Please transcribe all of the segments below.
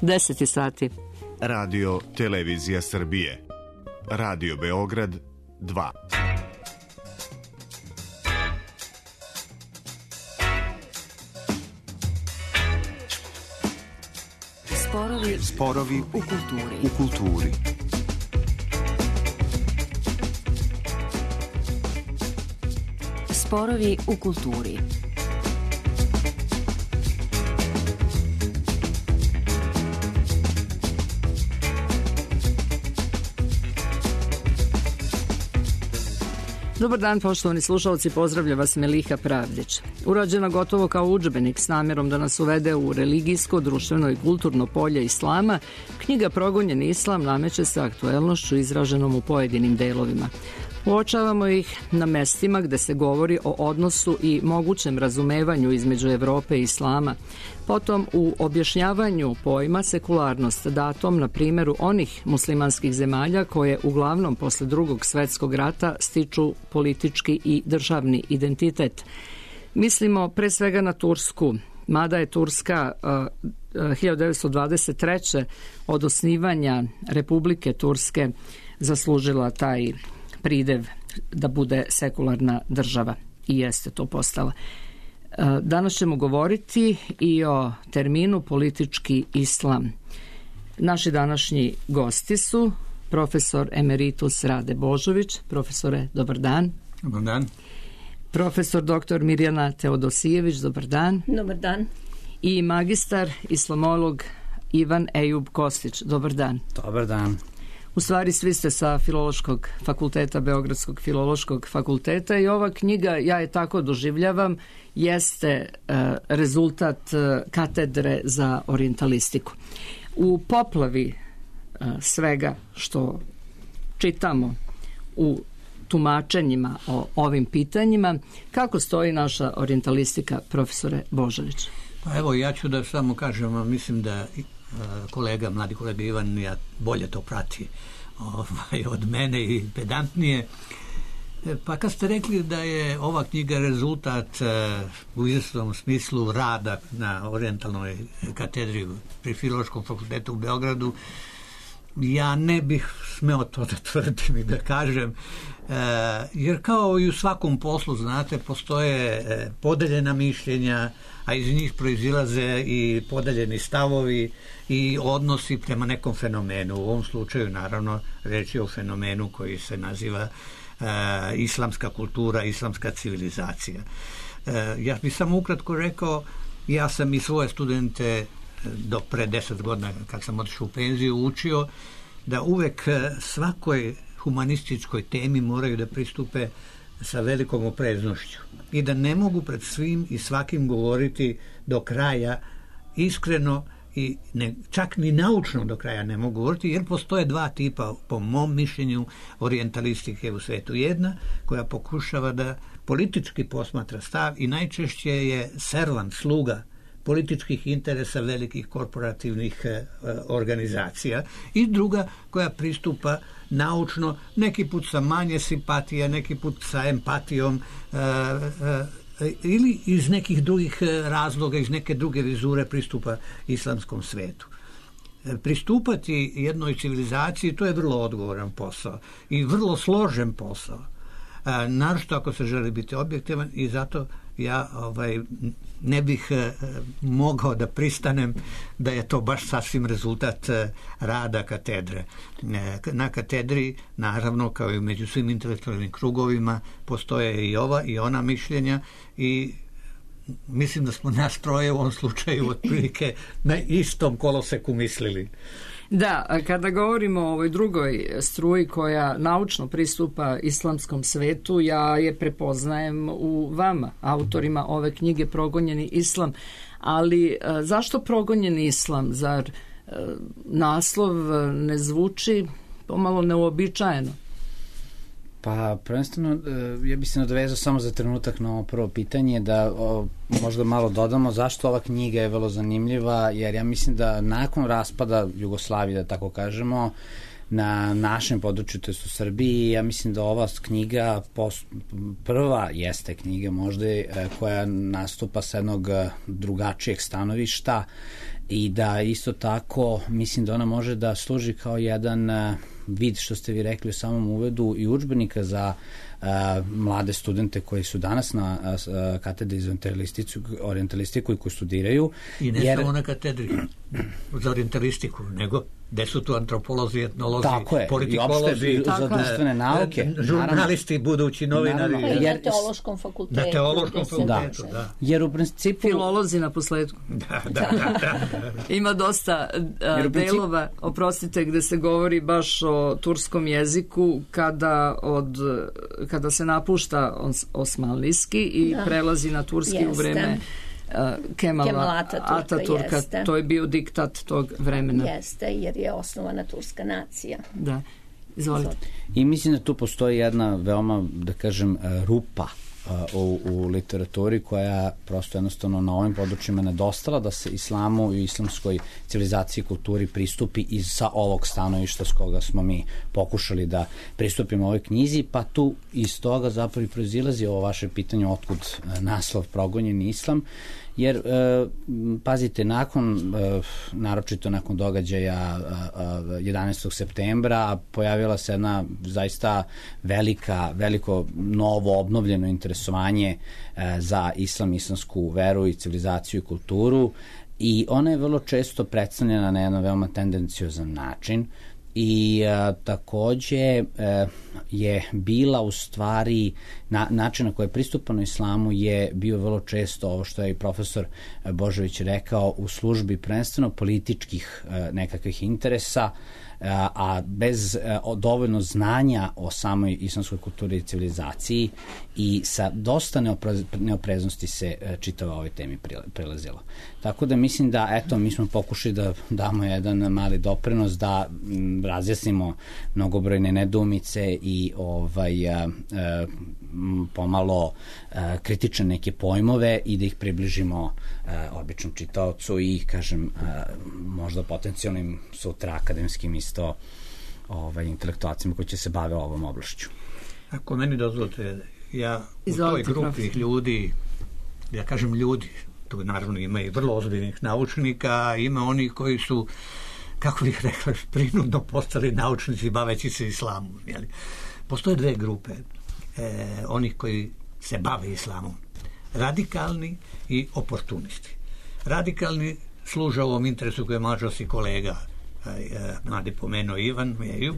10 sati. Radio Televizija Srbije. Radio Beograd 2. Sporovi u kulturi. Sporovi u kulturi. Dobar dan, poštovani slušalci, pozdravlja vas Meliha Pravdić. Urađena gotovo kao udžbenik s namjerom da nas uvede u religijsko, društveno i kulturno polje islama, knjiga Progonjeni islam nameće se aktuelnošću izraženom u pojedinim delovima. Uočavamo ih na mestima gde se govori o odnosu i mogućem razumevanju između Evrope i islama, potom u objašnjavanju pojma sekularnost datom na primjeru onih muslimanskih zemalja koje uglavnom posle Drugog svetskog rata stiču politički i državni identitet. Mislimo pre svega na Tursku, mada je Turska 1923. od osnivanja Republike Turske zaslužila taj pridev da bude sekularna država i jeste to postala. Danas ćemo govoriti i o terminu politički islam. Naši današnji gosti su profesor emeritus Rade Božović. Profesore, dobar dan. Dobar dan. Profesor dr. Mirjana Teodosijević, dobar dan. Dobar dan. I magistar islamolog Ivan Ejub Kostić, dobar dan. Dobar dan. U stvari svi ste sa Filološkog fakulteta, Beogradskog filološkog fakulteta i ova knjiga, ja je tako doživljavam, jeste rezultat katedre za orijentalistiku. U poplavi svega što čitamo u tumačenjima o ovim pitanjima, kako stoji naša orijentalistika, profesore Božović? Pa evo, ja ću da samo kažem, mislim da mladi kolega Ivan bolje to prati od mene i pedantnije. Pa kad ste rekli da je ova knjiga rezultat u izvesnom smislu rada na orijentalnoj katedri pri Filološkom fakultetu u Beogradu, ja ne bih smeo to da tvrdim i da kažem, jer kao i u svakom poslu, znate, postoje podeljena mišljenja, a iz njih proizilaze i podeljeni stavovi i odnosi prema nekom fenomenu. U ovom slučaju, naravno, reč je o fenomenu koji se naziva islamska kultura, islamska civilizacija. Ja bih samo ukratko rekao, ja sam i svoje studente do pre 10 godina, kad sam otišao u penziju, učio da uvek svakoj humanističkoj temi moraju da pristupe sa velikom opreznošću i da ne mogu pred svim i svakim govoriti do kraja iskreno i čak ni naučno do kraja ne mogu govoriti, jer postoje dva tipa, po mom mišljenju, orijentalistike u svetu. Jedna koja pokušava da politički posmatra stav i najčešće je servant, sluga političkih interesa velikih korporativnih organizacija, i druga koja pristupa naučno, neki put sa manje simpatija, neki put sa empatijom, ili iz nekih drugih razloga, iz neke druge vizure pristupa islamskom svetu. Pristupati jednoj civilizaciji, to je vrlo odgovoran posao i vrlo složen posao, naročito ako se želi biti objektivan, i zato ja ne bih mogao da pristanem da je to baš sasvim rezultat rada katedre. Na katedri, naravno, kao i među svim intelektualnim krugovima, postoje i ova i ona mišljenja, i mislim da smo nas troje u ovom slučaju otprilike na istom koloseku mislili. Da, kada govorimo o ovoj drugoj struji koja naučno pristupa islamskom svetu, ja je prepoznajem u vama, autorima ove knjige Progonjeni islam, ali zašto Progonjeni islam? Zar naslov ne zvuči pomalo neuobičajeno? Pa, prvenstveno, ja bih se nadovezao samo za trenutak na ovo prvo pitanje, da možda malo dodamo zašto ova knjiga je vrlo zanimljiva, jer ja mislim da nakon raspada Jugoslavije, da tako kažemo, na našem području, to je u Srbiji, ja mislim da ova knjiga prva jeste knjiga možda koja nastupa sa jednog drugačijeg stanovišta i da isto tako mislim da ona može da služi kao jedan vid, što ste vi rekli u samom uvedu, i udžbenika za mlade studente koji su danas na katedri za orijentalistiku i koji studiraju. I ne samo na katedri za orijentalistiku, nego gde su tu antropolozi, etnolozi, politikolozi, i za društvene nauke, žurnalisti, budući novinari. I na teološkom fakultetu. Na teološkom fakultetu, da. Jer u principu... Filolozi na posledku. Da. Ima dosta delova, oprostite, gde se govori baš o turskom jeziku kada se napušta osmanlijski i prelazi na turski u vreme Kemala Ataturka. To je bio diktat tog vremena. Jeste, jer je osnovana turska nacija. Da, izvolite. I mislim da tu postoji jedna veoma, da kažem, rupa u literaturi koja prosto jednostavno na ovim područjima nedostala da se islamu i islamskoj civilizaciji i kulturi pristupi sa ovog stanovišta s koga smo mi pokušali da pristupimo ovoj knjizi, pa tu iz toga zapravo i proizilazi ovo vaše pitanje otkud naslov Progonjeni islam, jer pazite, naročito nakon događaja 11. septembra pojavila se jedna zaista veliko novo obnovljeno interesovanje za islamsku veru i civilizaciju i kulturu, i ona je vrlo često predstavljena na jedan veoma tendenciozan način. I takođe je bila u stvari način na koji je pristupano islamu je bio vrlo često ovo što je i profesor Božović rekao, u službi prvenstveno političkih nekakvih interesa, a bez dovoljno znanja o samoj islamskoj kulturi i civilizaciji, i sa dosta neopreznosti se čitava ovoj temi prelazilo. Tako da mislim da, eto, mi smo pokušali da damo jedan mali doprinos, da razjasnimo mnogobrojne nedoumice i pomalo kritične neke pojmove i da ih približimo običnom čitaocu i, kažem, možda potencijalnim sutra akademskim isto intelektualcima koji će se bave ovom oblašću. Ako meni dozvolite, ja u toj grupi ljudi, ja kažem ljudi, tu naravno ima i vrlo ozbiljnih naučnika, ima onih koji su, kako bih rekla, prinudno postali naučnici baveći se islamom. Jeli? Postoje dve grupe onih koji se bave islamom. Radikalni i oportunisti. Radikalni služe ovom interesu koje je mađarski kolega mladi pomenuo Ivan Meju,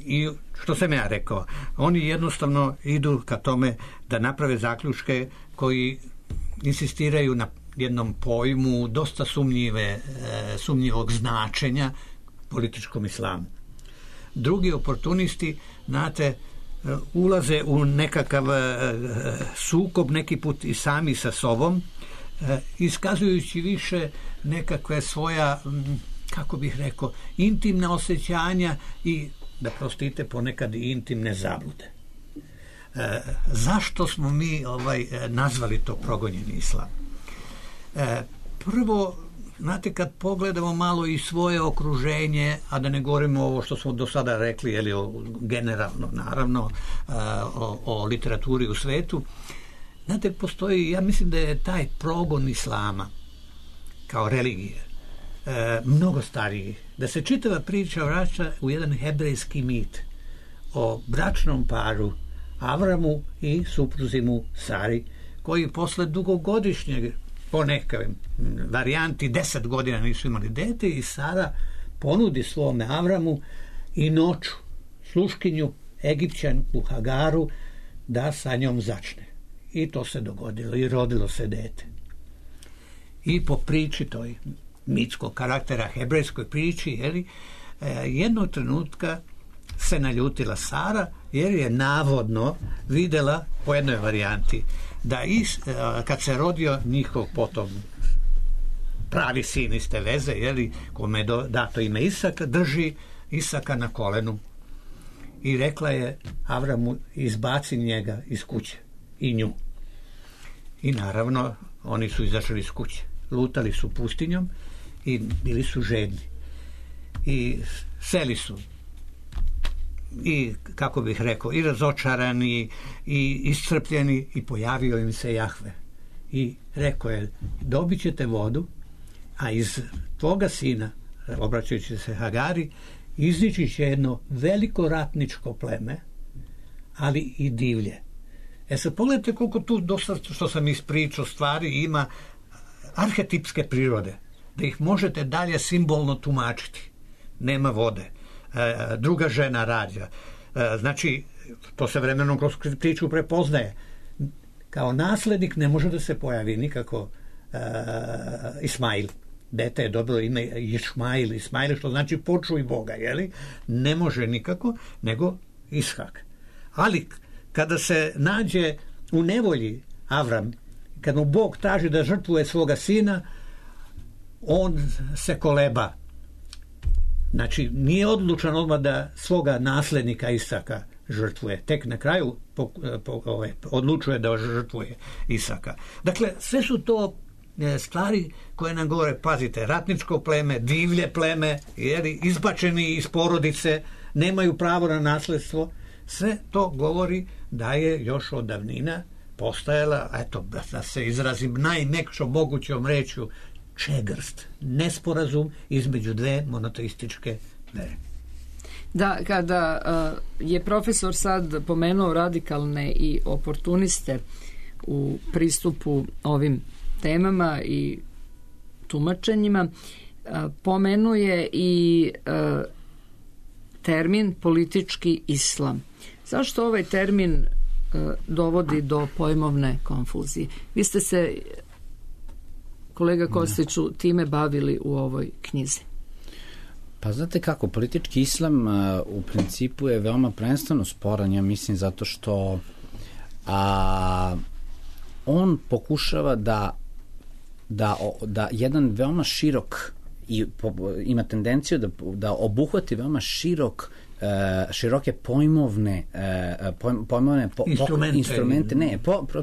i što sam ja rekao, oni jednostavno idu ka tome da naprave zaključke koji insistiraju na jednom pojmu dosta sumnjivog značenja političkom islamu. Drugi oportunisti, znate, ulaze u nekakav sukob neki put i sami sa sobom, iskazujući više nekakve svoja, kako bih rekao, intimna osjećanja i, da prostite, ponekad i intimne zablude. Zašto smo mi nazvali to progonjeni islam? Prvo, znate, kad pogledamo malo i svoje okruženje, a da ne govorimo ovo što smo do sada rekli, generalno, naravno, o literaturi u svetu, znate, postoji, ja mislim da je taj progon islama kao religije mnogo stariji, da se čitava priča vraća u jedan hebrejski mit o bračnom paru Avramu i supruzimu Sari, koji posle dugogodišnjeg, po nekoj varijanti 10 godina nisu imali dete, i Sara ponudi svome Avramu i noću sluškinju Egipćanku Hagaru da sa njom začne. I to se dogodilo i rodilo se dete. I po priči toj mitskog karaktera, hebrejskoj priči, jednog trenutka se naljutila Sara, jer je navodno videla, po jednoj varijanti, da kad se rodio njihov potom pravi sin iz te veze, kome je dato ime Isak, drži Isaka na kolenu i rekla je Avramu, izbaci njega iz kuće i nju. I naravno oni su izašli iz kuće, lutali su pustinjom i bili su žedni i seli su i, kako bih rekao, i razočarani i iscrpljeni, i pojavio im se Jahve i rekao je, dobit ćete vodu a iz tvoga sina, obraćajući se Hagari, iznići će jedno veliko ratničko pleme, ali i divlje. Sad pogledajte koliko tu dosta što sam ispričao stvari ima arhetipske prirode, da ih možete dalje simbolno tumačiti. Nema vode, druga žena rađa, znači to se vremenom kroz priču prepoznaje. Kao naslednik ne može da se pojavi nikako Ismail. Dete je dobilo ime Ismail, što znači počuj Boga, jeli? Ne može nikako, nego Ishak. Ali kada se nađe u nevolji Avram, kad mu Bog traži da žrtvuje svoga sina, on se koleba. Znači, nije odlučan odmah da svoga naslednika Isaka žrtvuje. Tek na kraju odlučuje da žrtvuje Isaka. Dakle, sve su to stvari koje nam govore, pazite, ratničko pleme, divlje pleme, jer izbačeni iz porodice, nemaju pravo na nasledstvo. Sve to govori da je još od davnina postajala, eto, da se izrazim najmekšom mogućom rečju, čegrst, nesporazum između dve monoteističke vere. Da, kada je profesor sad pomenuo radikalne i oportuniste u pristupu ovim temama i tumačenjima, pomenuje i termin politički islam. Zašto ovaj termin dovodi do pojmovne konfuzije? Vi ste se, kolega Kostiću, time bavili u ovoj knjizi. Pa znate kako, politički islam u principu je veoma prvenstveno sporan, ja mislim, zato što on pokušava da jedan veoma širok i ima tedenciju da obuhvati veoma široke pojmovne instrumente,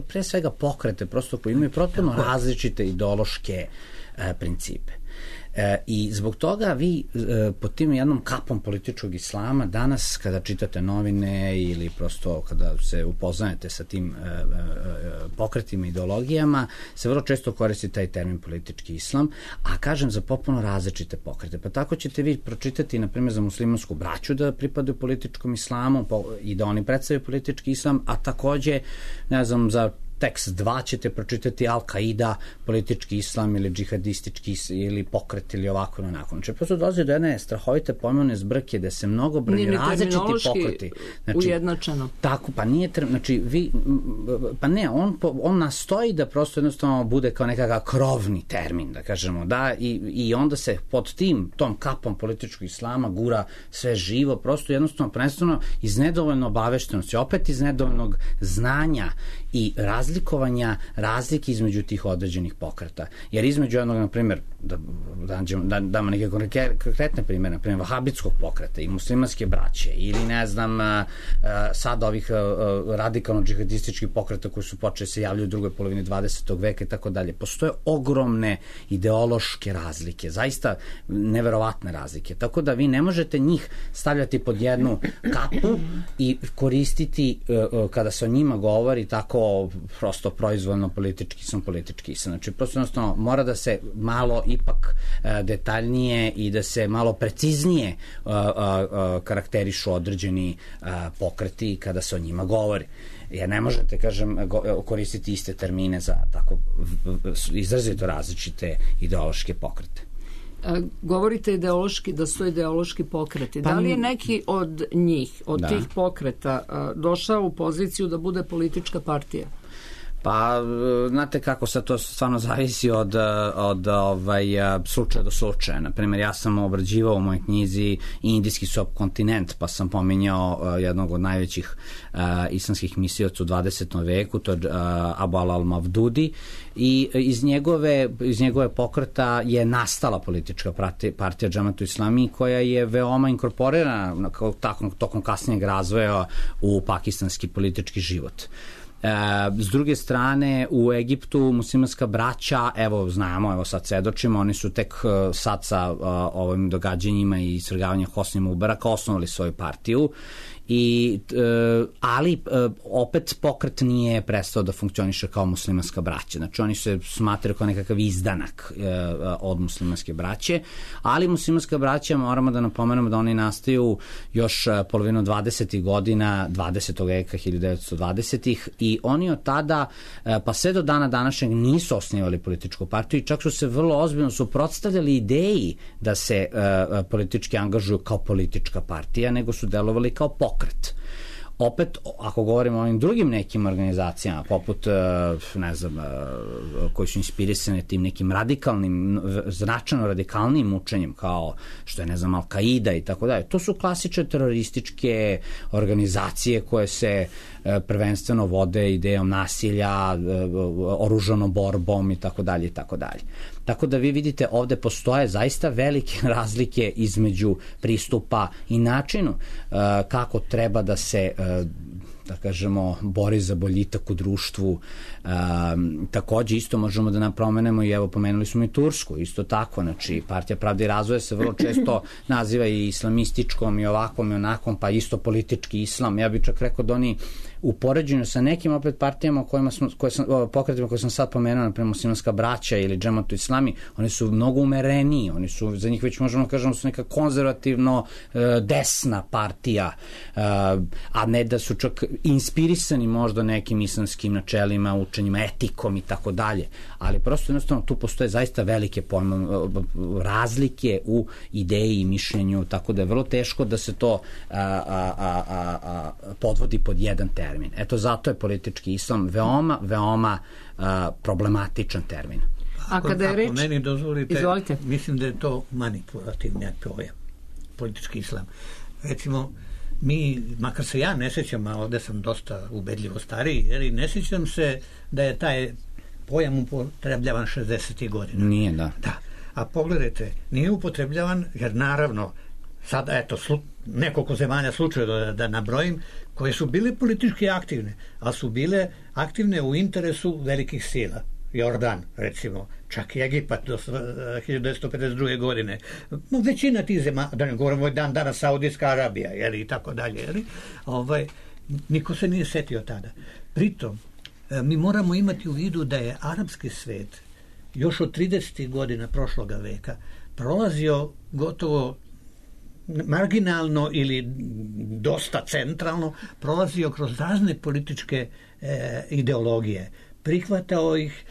pre svega pokrete, prosto koji imaju potpuno različite ideološke principe. I zbog toga vi pod tim jednom kapom političkog islama danas kada čitate novine ili prosto kada se upoznajete sa tim pokretima, ideologijama, se vrlo često koristi taj termin politički islam, a kažem za potpuno različite pokrete. Pa tako ćete vi pročitati, na primjer, za muslimansku braću da pripadaju političkom islamu i da oni predstavljaju politički islam, a takođe, ne znam, za tekst 2 ćete pročitati Al-Qaida, politički islam ili džihadistički ili pokret ili ovako ili onako. Znači, prosto dolazi do jedne strahovite pojmovne zbrke da se mnogobrojni različiti pokreti. Znači, ujednačeno. Tako, pa nije, znači, pa ne, on nastoji da prosto jednostavno bude kao nekakav krovni termin, da kažemo, da, i onda se pod tom kapom političkog islama gura sve živo, prosto jednostavno prvenstveno iz nedovoljno obaveštenosti, opet iz nedovoljnog znanja i razlikovanja razlike između tih određenih pokreta. Jer između jednog, na primjer, da damo neke konkretne primjere, na primjer, vahabitskog pokreta i muslimanske braće ili, ne znam, sad ovih radikalno-džihadističkih pokreta koji su počeli se javljaju u drugoj polovini 20. veka i tako dalje. Postoje ogromne ideološke razlike, zaista neverovatne razlike. Tako da vi ne možete njih stavljati pod jednu kapu i koristiti kada se o njima govori tako prosto proizvoljno politički sam. Znači, prosto jednostavno mora da se malo ipak detaljnije i da se malo preciznije karakterišu određeni pokreti kada se o njima govori. Jer ne možete, kažem, koristiti iste termine za tako izrazito različite ideološke pokrete. Govorite ideološki, da su ideološki pokreti. Da li je neki od njih, od tih pokreta, došao u poziciju da bude politička partija? Pa, znate kako, sad to stvarno zavisi od slučaja do slučaja. Naprimjer, ja sam obrađivao u mojoj knjizi indijski subkontinent, pa sam pominjao jednog od najvećih islamskih misioca u 20. veku, to je Abu al-Mavdudi, i iz njegove pokreta je nastala politička partija Džematu Islami, koja je veoma inkorporirana tokom kasnijeg razvoja u pakistanski politički život. S druge strane, u Egiptu muslimanska braća, znamo, sad svedočimo, oni su tek sad sa ovim događanjima i svrgavanjem Hosni Mubaraka osnovali svoju partiju Ali opet pokret nije prestao da funkcioniše kao muslimanska braća. Znači oni se smatraju kao nekakav izdanak od muslimanske braće, ali muslimanska braća, moramo da napomenemo da oni nastaju još polovinu 20. godina 20. veka, 1920. i oni od tada pa sve do dana današnjeg nisu osnivali političku partiju i čak su se vrlo ozbiljno suprotstavljali ideji da se politički angažuju kao politička partija, nego su delovali kao pokret. Opet, ako govorimo o ovim drugim nekim organizacijama, poput, ne znam, koji su inspirisane tim nekim radikalnim, značajno radikalnim učenjem, kao što je, ne znam, Al-Qaida i tako dalje, to su klasične terorističke organizacije koje se prvenstveno vode idejom nasilja, oružanom borbom i tako dalje i tako dalje. Tako da vi vidite ovde postoje zaista velike razlike između pristupa i načinu kako treba da se da kažemo, bori za boljitak u društvu. Takođe isto možemo da napomenemo i evo pomenuli smo i Tursku, isto tako, znači Partija pravde i razvoja se vrlo često naziva i islamističkom i ovakvom i onakom, pa isto politički islam. Ja bih čak rekao da oni u poređenju sa nekim opet partijama pokretima koje sam sad pomenuo, naprimjer Muslimanska braća ili Džematu Islami, oni su mnogo umereniji, oni su, za njih već možemo kažemo su neka konzervativno desna partija, a ne da su čak inspirisani možda nekim islamskim načelima, učenjima, etikom i tako dalje, ali prosto jednostavno tu postoje zaista velike razlike u ideji i mišljenju, tako da je vrlo teško da se to podvodi pod jedan termin. Eto, zato je politički islam veoma problematičan termin. A kada je reč... Ako meni dozvolite, izvolite. Mislim da je to manipulativni pojam, politički islam. Recimo, mi, makar se ja ne sjećam, a ovde sam dosta ubedljivo stariji, jer ne sjećam se da je taj pojam upotrebljavan 60. godina. Nije, da. Da. A pogledajte, nije upotrebljavan, jer naravno, sad, eto, nekoliko zemalja slučaja da nabrojim, koje su bile politički aktivne, ali su bile aktivne u interesu velikih sila. Jordan, recimo, čak i Egipat do 1952. godine. Većina tih zemalja, da ne govorimo danas Saudijska Arabija, jeli, i tako dalje, jeli, niko se nije setio tada. Pritom, mi moramo imati u vidu da je arapski svet još od 30. godina prošloga veka prolazio gotovo marginalno ili dosta centralno, prolazio kroz razne političke ideologije. Prihvatao ih,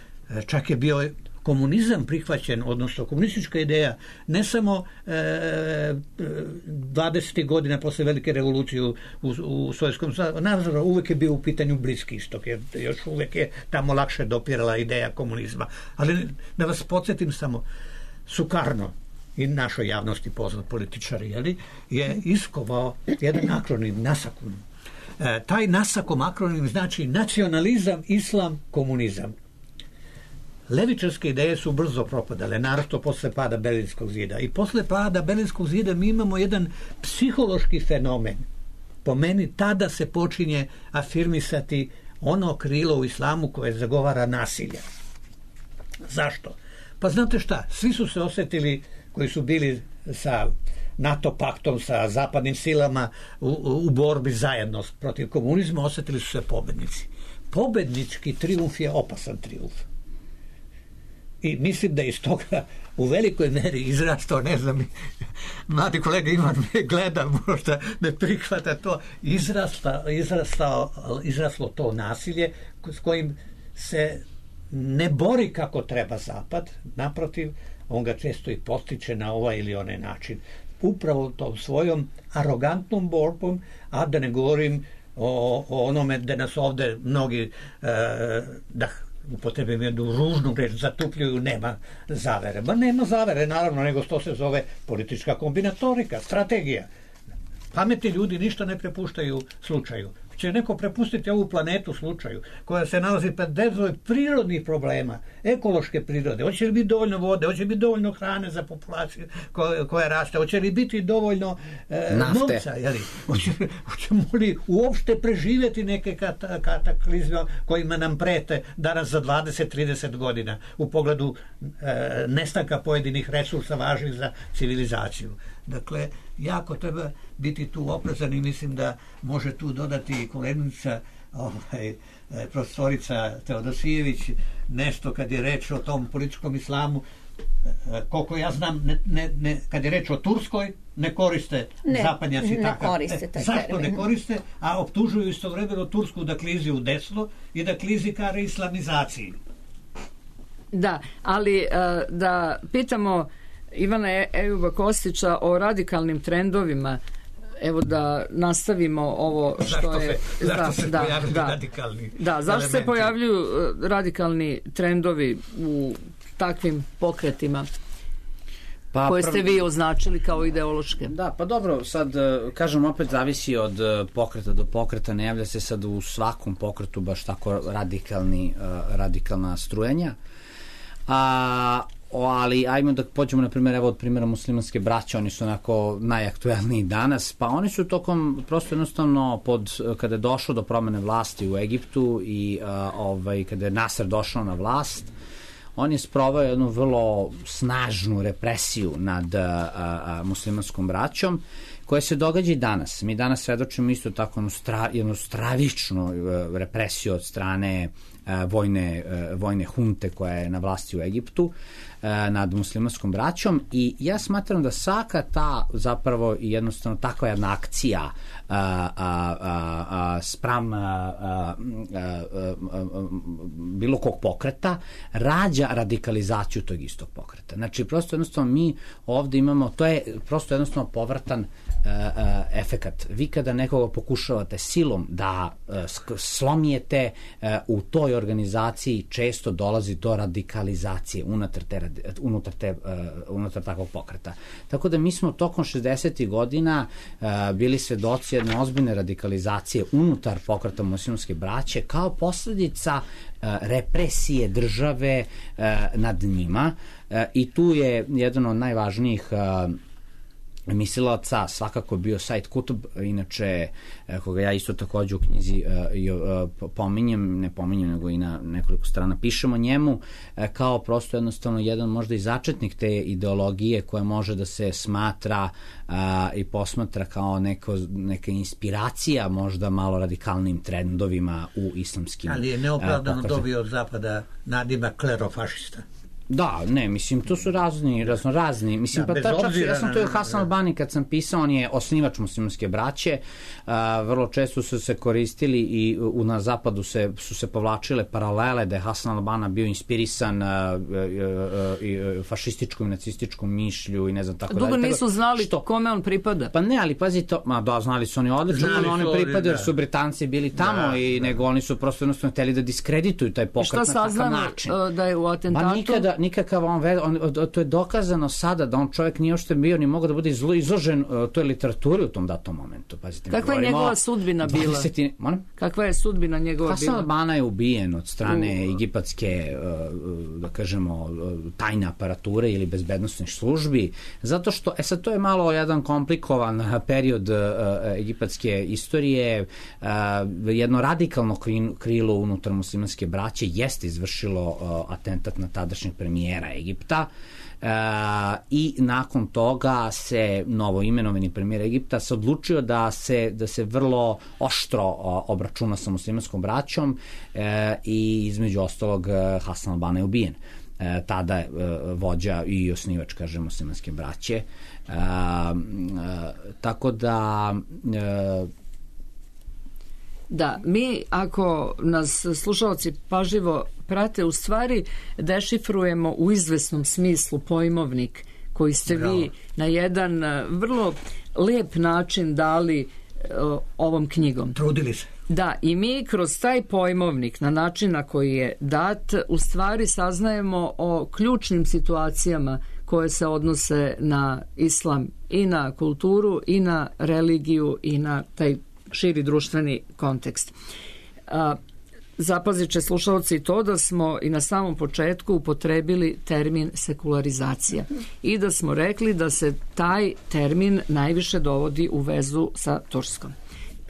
čak je bio komunizam prihvaćen, odnosno komunistička ideja, ne samo 20. godina posle velike revolucije u Sovjetskom savezu, naravno uvek je bio u pitanju Bliski istok, jer još uvek je tamo lakše dopirala ideja komunizma. Ali da vas podsjetim samo, Sukarno, i našoj javnosti poznat političar, je iskovao jedan akronim, NASAKOM. Taj NASAKOM akronim znači nacionalizam, islam, komunizam. Levičarske ideje su brzo propadale, naravno posle pada Berlinskog zida. I posle pada Berlinskog zida mi imamo jedan psihološki fenomen. Po meni tada se počinje afirmisati ono krilo u islamu koje zagovara nasilje. Zašto? Pa znate šta, svi su se osjetili koji su bili sa NATO paktom, sa zapadnim silama u borbi zajedno protiv komunizma, osjetili su se pobednici. Pobednički trijumf je opasan trijumf. I mislim da iz toga u velikoj meri izrastao, ne znam, mladi kolega Ivan me gleda, možda ne prihvata to, izraslo to nasilje s kojim se ne bori kako treba Zapad, naprotiv, on ga često i postiče na ovaj ili onaj način. Upravo tom svojom arogantnom borbom, a da ne govorim o onome da nas ovde mnogi, da upotrebim jednu ružnu reč, zatupljuju, nema zavere. Ma nema zavere, naravno, nego to se zove politička kombinatorika, strategija. Pametni ljudi ništa ne prepuštaju slučaju. Će neko prepustiti ovu planetu slučaju, koja se nalazi pred bezbroj prirodnih problema, ekološke prirode, hoće li biti dovoljno vode, hoće li biti dovoljno hrane za populaciju koja raste, hoće li biti dovoljno novca, hoćemo li uopšte preživjeti neke kataklizme kojima nam prete danas za 20-30 godina u pogledu nestanka pojedinih resursa važnih za civilizaciju. Dakle, jako treba biti tu oprezan i mislim da može tu dodati koleginica profesorica Teodosijević nešto kad je reč o tom političkom islamu. Koliko ja znam, kad je reč o Turskoj, ne koriste zapadnjaci takav. Zašto ne koriste? A optužuju istovremeno Tursku da klizi u desno i da klizi ka reislamizaciji. Da, ali da pitamo Ivana Ejuba Kostića o radikalnim trendovima. Evo da nastavimo ovo što je... Zašto se pojavljuju radikalni elementi? Zašto se pojavljuju radikalni trendovi u takvim pokretima koje ste vi označili kao ideološke? Da, pa dobro, sad kažem opet zavisi od pokreta do pokreta, ne javlja se sad u svakom pokretu baš tako radikalna strujanja. Ali ajmo da pođemo na primjer od primjera muslimanske braće, oni su onako najaktuelniji danas, pa oni su tokom prosto jednostavno kada je došlo do promene vlasti u Egiptu i kada je Nasser došao na vlast, on je sproveo jednu vrlo snažnu represiju nad muslimanskom braćom koja se događa i danas. Mi danas svedočimo isto tako jednu stravičnu represiju od strane vojne hunte koja je na vlasti u Egiptu nad muslimanskom braćom i ja smatram da svaka ta zapravo jednostavno takva jedna akcija spram bilo kog pokreta rađa radikalizaciju tog istog pokreta. Znači prosto jednostavno mi ovde imamo, to je prosto jednostavno povratan efekat. Vi kada nekoga pokušavate silom da slomijete u toj organizaciji često dolazi do radikalizacije unutar takvog pokreta. Tako da mi smo tokom 60. godina bili svedoci jedne ozbiljne radikalizacije unutar pokreta muslimanske braće kao posljedica represije države nad njima i tu je jedan od najvažnijih mislilaca svakako bio Said Kutb, inače koga ja isto takođe u knjizi ne pominjem, nego i na nekoliko strana pišemo njemu, kao prosto jednostavno jedan možda i začetnik te ideologije koja može da se smatra i posmatra kao neka inspiracija možda malo radikalnim trendovima u islamskim ali je neopravdano dobio od zapada nadimak klerofašista. Da, ne, mislim, to su razni, mislim, pa čak ja sam to je Hasan al-Banni kad sam pisao, on je osnivač muslimanske braće, vrlo često su se koristili i na zapadu su se povlačile paralele da je Hasan al-Banna bio inspirisan fašističkom i nacističkom mišlju i ne znam tako dalje. Dugo nisu znali kome on pripada. Pa ne, ali pazi to, da, znali su oni odlično kome oni pripadaju, jer su Britanci bili tamo i nego oni su prosto jednostavno hteli da diskredituju taj pokret na takav način. Šta saznamo da je u atentatu? Nikakav to je dokazano sada da on čovjek nije uopšte bio ni mogao da bude izložen toj literaturi u tom datom momentu. Pazite, kakva je njegova sudbina bila? Kakva je sudbina njegova bila? Hasan al-Banna je ubijen od strane egipatske, da kažemo, tajne aparature ili bezbednosnih službi, zato što, sad to je malo jedan komplikovan period egipatske istorije, jedno radikalno krilo unutar muslimanske braće jeste izvršilo atentat na tadašnjeg premijera Egipta i nakon toga se novoimenovani premijer Egipta se odlučio da se vrlo oštro obračuna sa muslimanskom braćom i između ostalog Hasan al-Banna je ubijen. Tada je vođa i osnivač, kažem, muslimanske braće. Tako da... Da, mi ako nas slušalci pažljivo prate, u stvari dešifrujemo u izvesnom smislu pojmovnik koji ste vi na jedan vrlo lep način dali ovom knjigom. Trudili se. Da, i mi kroz taj pojmovnik na način na koji je dat u stvari saznajemo o ključnim situacijama koje se odnose na islam i na kulturu i na religiju i na taj širi društveni kontekst. Zapazit će slušalci to da smo i na samom početku upotrebili termin sekularizacija i da smo rekli da se taj termin najviše dovodi u vezu sa Turskom.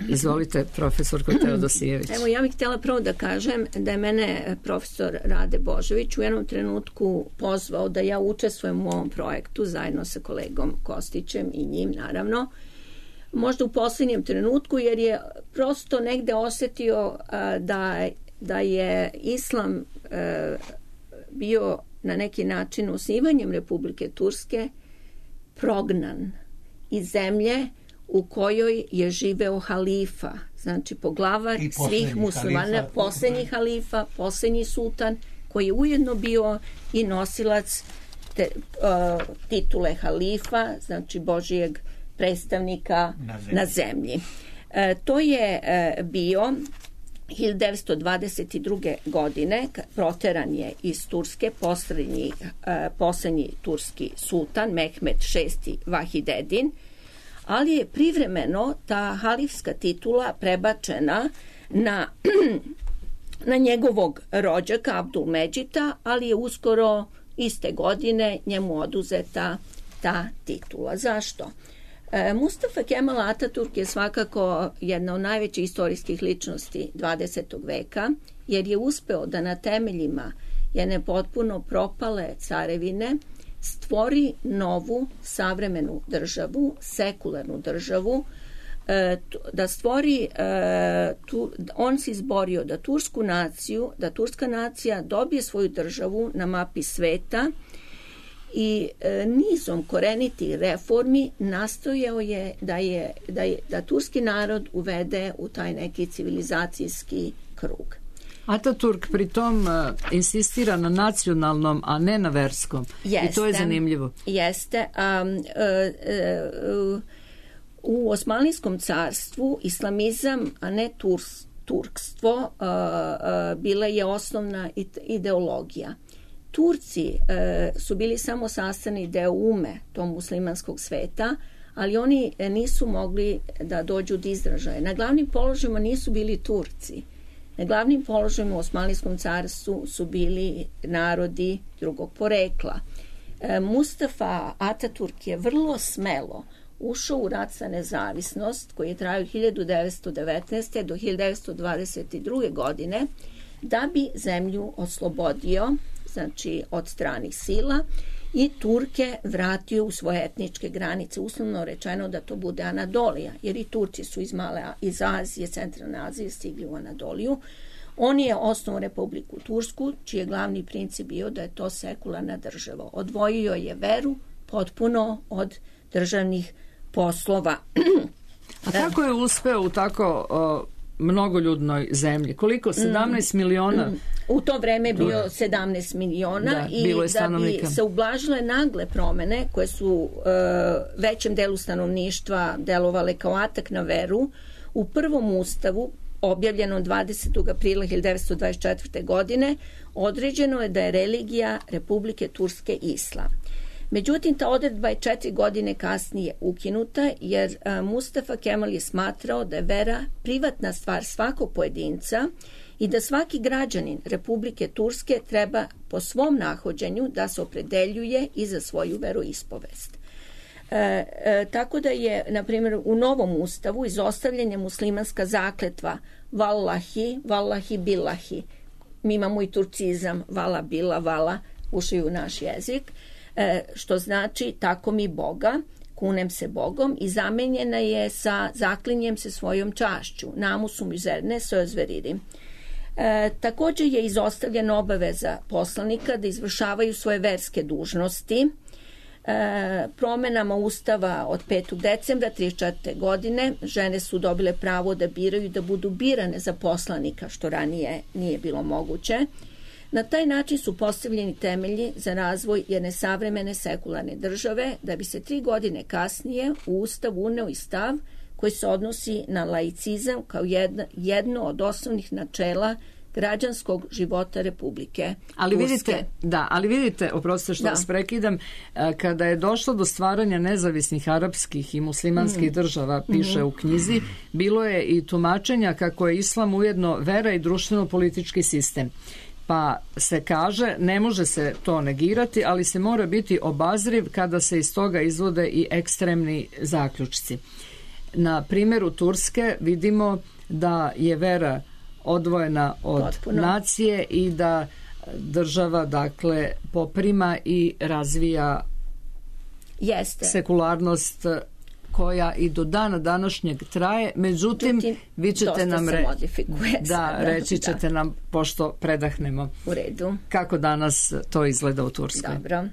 Izvolite, profesorko Teodosijević. Evo, ja bih htjela prvo da kažem da je mene profesor Rade Božović u jednom trenutku pozvao da ja učestvujem u ovom projektu zajedno sa kolegom Kostićem i njim, naravno. Možda u posljednjem trenutku, jer je prosto negde osetio da je islam bio na neki način osnivanjem Republike Turske prognan iz zemlje u kojoj je živeo halifa, znači poglavar svih muslimana, posljednji halifa, posljednji sultan, koji je ujedno bio i nosilac titule halifa, znači Božijeg predstavnika na zemlji. To je bio 1922. godine, proteran je iz Turske posljednji turski sultan Mehmed VI Vahidedin, ali je privremeno ta halifska titula prebačena na njegovog rođaka Abdulmedžita, ali je uskoro iste godine njemu oduzeta ta titula. Zašto? Mustafa Kemal Ataturk je svakako jedna od najvećih istorijskih ličnosti 20. veka, jer je uspeo da na temeljima jedne potpuno propale carevine stvori novu savremenu državu, sekularnu državu, da stvori, on se izborio da turska nacija dobije svoju državu na mapi sveta i nizom korenitih reformi nastojao je da turski narod uvede u taj neki civilizacijski krug. Ataturk pritom insistira na nacionalnom, a ne na verskom. Jeste, i to je zanimljivo. Jeste. U Osmanlijskom carstvu islamizam, a ne turkstvo, bila je osnovna ideologija. Turci su bili samo sastavni deo tog muslimanskog sveta, ali oni nisu mogli da dođu do izražaja. Na glavnim položajima nisu bili Turci. Na glavnim položajima u Osmanlijskom carstvu su bili narodi drugog porekla. Mustafa Ataturk je vrlo smelo ušao u rat za nezavisnost koji je trajao 1919. do 1922. godine da bi zemlju oslobodio, znači od stranih sila, i Turke vratio u svoje etničke granice, uslovno rečeno da to bude Anadolija, jer i Turci su iz Azije, centralne Azije stigli u Anadoliju. On je osnovao Republiku Tursku, čiji je glavni princip bio da je to sekularna država. Odvojio je veru potpuno od državnih poslova. A kako je uspeo u tako mnogoljudnoj zemlji? Koliko? 17 miliona? U to vreme je bio 17 miliona i da bi se ublažile nagle promene koje su većem delu stanovništva delovale kao atak na veru, u prvom ustavu objavljenom 20. aprila 1924. godine određeno je da je religija Republike Turske islam. Međutim, ta odredba je 4 godine kasnije ukinuta, jer Mustafa Kemal je smatrao da je vera privatna stvar svakog pojedinca i da svaki građanin Republike Turske treba po svom nahođenju da se opredeljuje i za svoju veroispovest. Tako da je, na primjer, u novom ustavu izostavljen je muslimanska zakletva Wallahi, Wallahi billahi. Mi imamo i turcizam Vala bila Vala, ušao u naš jezik, što znači tako mi Boga, kunem se Bogom, i zamenjena je sa zaklinjem se svojom čašću, namusum üzerine söz veririm. Također je izostavljena obaveza poslanika da izvršavaju svoje verske dužnosti. Promenama ustava od 5. decembra 1934. godine žene su dobile pravo da biraju, da budu birane za poslanika, što ranije nije bilo moguće. Na taj način su postavljeni temelji za razvoj jedne savremene sekularne države, da bi se 3 godine kasnije u ustav uneo i stav koji se odnosi na laicizam kao jedno od osnovnih načela građanskog života Republike Turske. Ali vidite, oprostite što vas prekidam, kada je došlo do stvaranja nezavisnih arapskih i muslimanskih država, piše u knjizi, bilo je i tumačenja kako je islam ujedno vera i društveno-politički sistem. Pa se kaže, ne može se to negirati, ali se mora biti obazriv kada se iz toga izvode i ekstremni zaključci. na primjeru Turske vidimo da je vera odvojena od nacije i da država dakle poprima i razvija sekularnost koja i do dana današnjeg traje, međutim vi ćete nam reći ćete nam, pošto predahnemo, u redu, kako danas to izgleda u Turskoj. Dobro.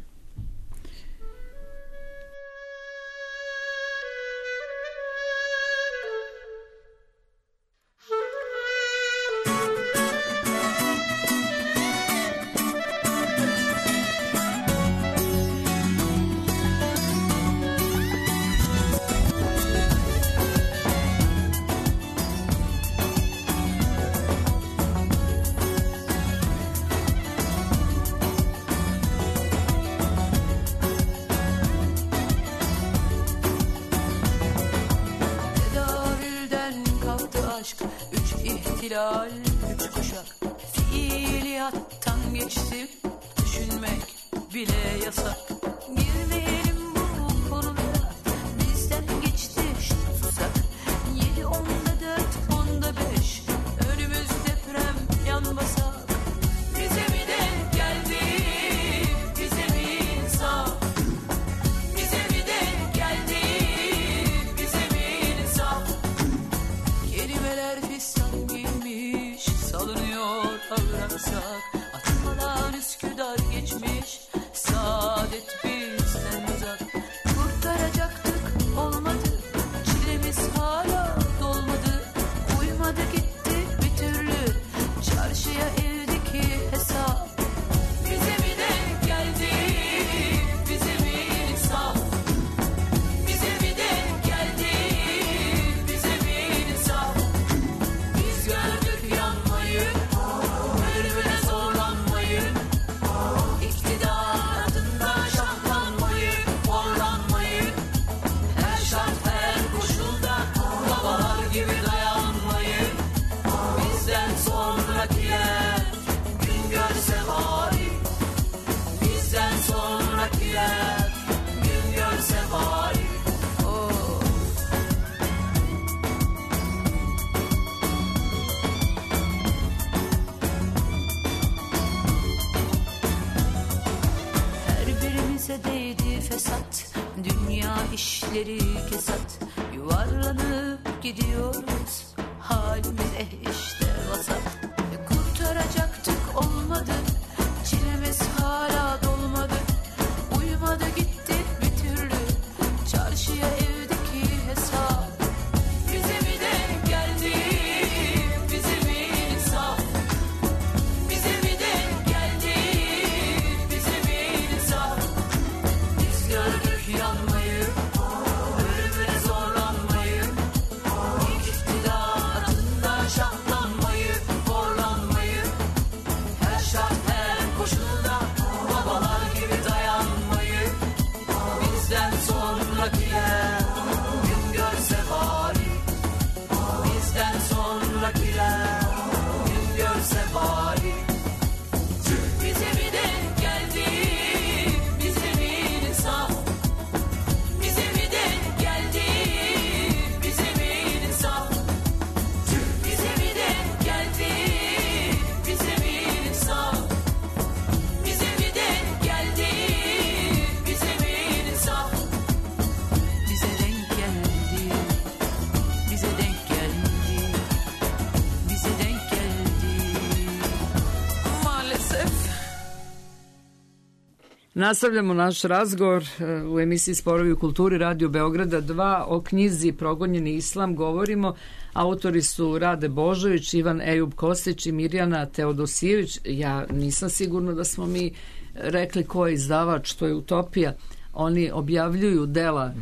Nastavljamo naš razgovor u emisiji Sporovi u kulturi Radio Beograda 2 o knjizi Progonjeni islam. Govorimo, autori su Rade Božović, Ivan Ejub Kostić i Mirjana Teodosijević. Ja nisam sigurna da smo mi rekli ko je izdavač, to je Utopija. Oni objavljuju dela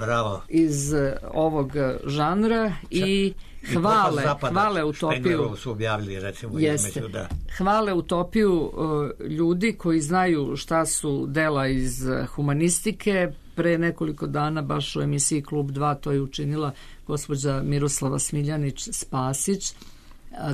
iz ovog žanra i hvale Utopiju. Su objavili, recimo, hvale Utopiju ljudi koji znaju šta su dela iz humanistike. Pre nekoliko dana baš u emisiji Klub 2 to je učinila gospođa Miroslava Smiljanić Spasić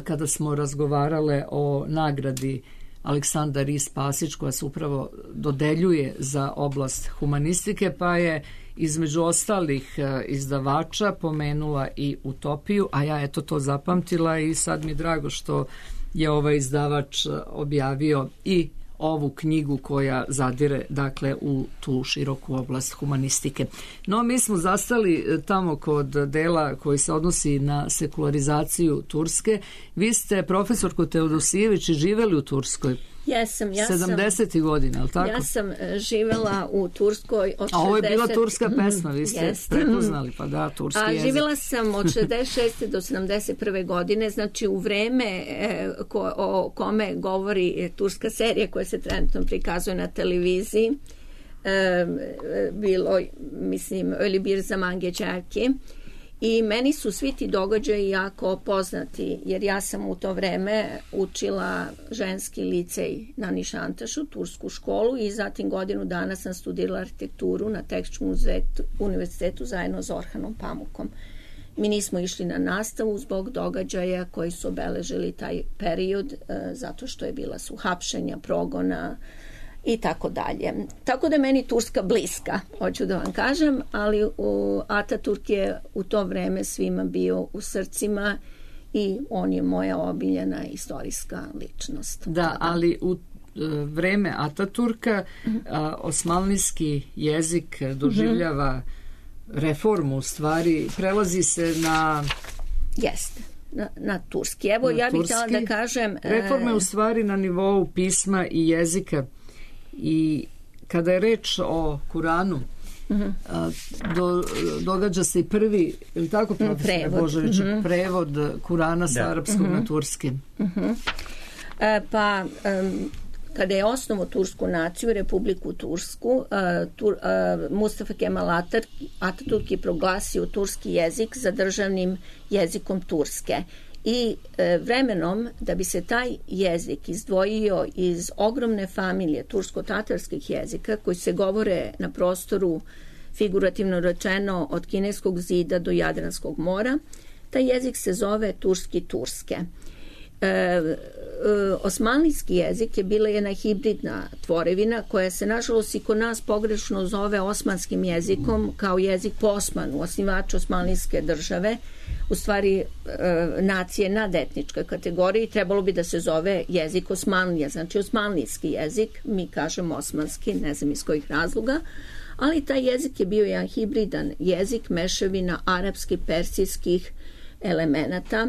kada smo razgovarale o nagradi Aleksandar I. Spasić, koja se upravo dodeljuje za oblast humanistike, pa je između ostalih izdavača pomenula i Utopiju, a ja eto to zapamtila i sad mi je drago što je ovaj izdavač objavio i ovu knjigu koja zadire dakle u tu široku oblast humanistike. No, mi smo zastali tamo kod dela koji se odnosi na sekularizaciju Turske. Vi ste, profesorko Teodosijević, živeli u Turskoj. Jesam. 70. godina, ali tako? Ja sam živela u Turskoj od 60... A ovo je bila turska pesma, vi ste prepoznali, pa da, turski jezik. Živela sam od 66. do 71. godine, znači u vreme o kome govori turska serija koja se trenutno prikazuje na televiziji, bilo, mislim, Öyle bir zaman geçer ki. I meni su svi ti događaji jako poznati, jer ja sam u to vreme učila ženski licej na Nišantašu, tursku školu, i zatim godinu dana sam studirala arhitekturu na Tehničkom univerzitetu zajedno s Orhanom Pamukom. Mi nismo išli na nastavu zbog događaja koji su obeležili taj period, zato što je bila su hapšenja, progona i tako dalje. Tako da je meni Turska bliska, hoću da vam kažem, ali Ataturk je u to vreme svima bio u srcima i on je moja omiljena istorijska ličnost. Da, ali u vreme Ataturka osmanlijski jezik doživljava reformu, u stvari prelazi se na... Jeste. Na turski. Evo, ja bih htjela da kažem... Reforme u stvari na nivou pisma i jezika. I kada je reč o Kuranu, događa se i prvi, ili tako, profesor Božović, prevod Kurana sa arapskog na turski. Pa, kada je osnovo tursku naciju, Republiku Tursku, Mustafa Kemal Atatürk je proglasio turski jezik za državnim jezikom Turske. I vremenom, da bi se taj jezik izdvojio iz ogromne familije tursko-tatarskih jezika koji se govore na prostoru, figurativno rečeno, od Kineskog zida do Jadranskog mora, taj jezik se zove turski turske. Osmanlijski jezik je bila jedna hibridna tvorevina koja se nažalost i kod nas pogrešno zove osmanskim jezikom kao jezik po Osmanu, osnivaču osmanlijske države, u stvari nacije nadetničke kategorije, trebalo bi da se zove jezik Osmanlija, znači osmanlijski jezik, mi kažemo osmanski, ne znam iz kojih razloga, ali taj jezik je bio jedan hibridan jezik, mešavina arapskih, persijskih elemenata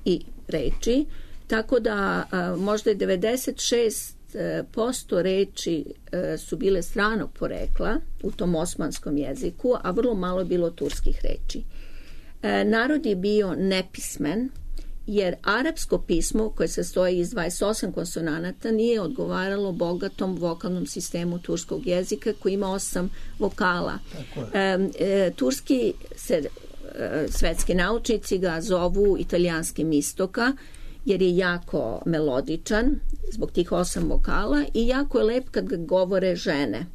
i reči, tako da možda je 96% reči su bile stranog porekla u tom osmanskom jeziku, a vrlo malo bilo turskih reči. Narod je bio nepismen, jer arapsko pismo koje se stoji iz 28 konsonanata nije odgovaralo bogatom vokalnom sistemu turskog jezika koji ima 8 vokala. Turski se svetski naučnici ga zovu italijanskim istoka, jer je jako melodičan zbog tih 8 vokala i jako je lep kad ga govore žene.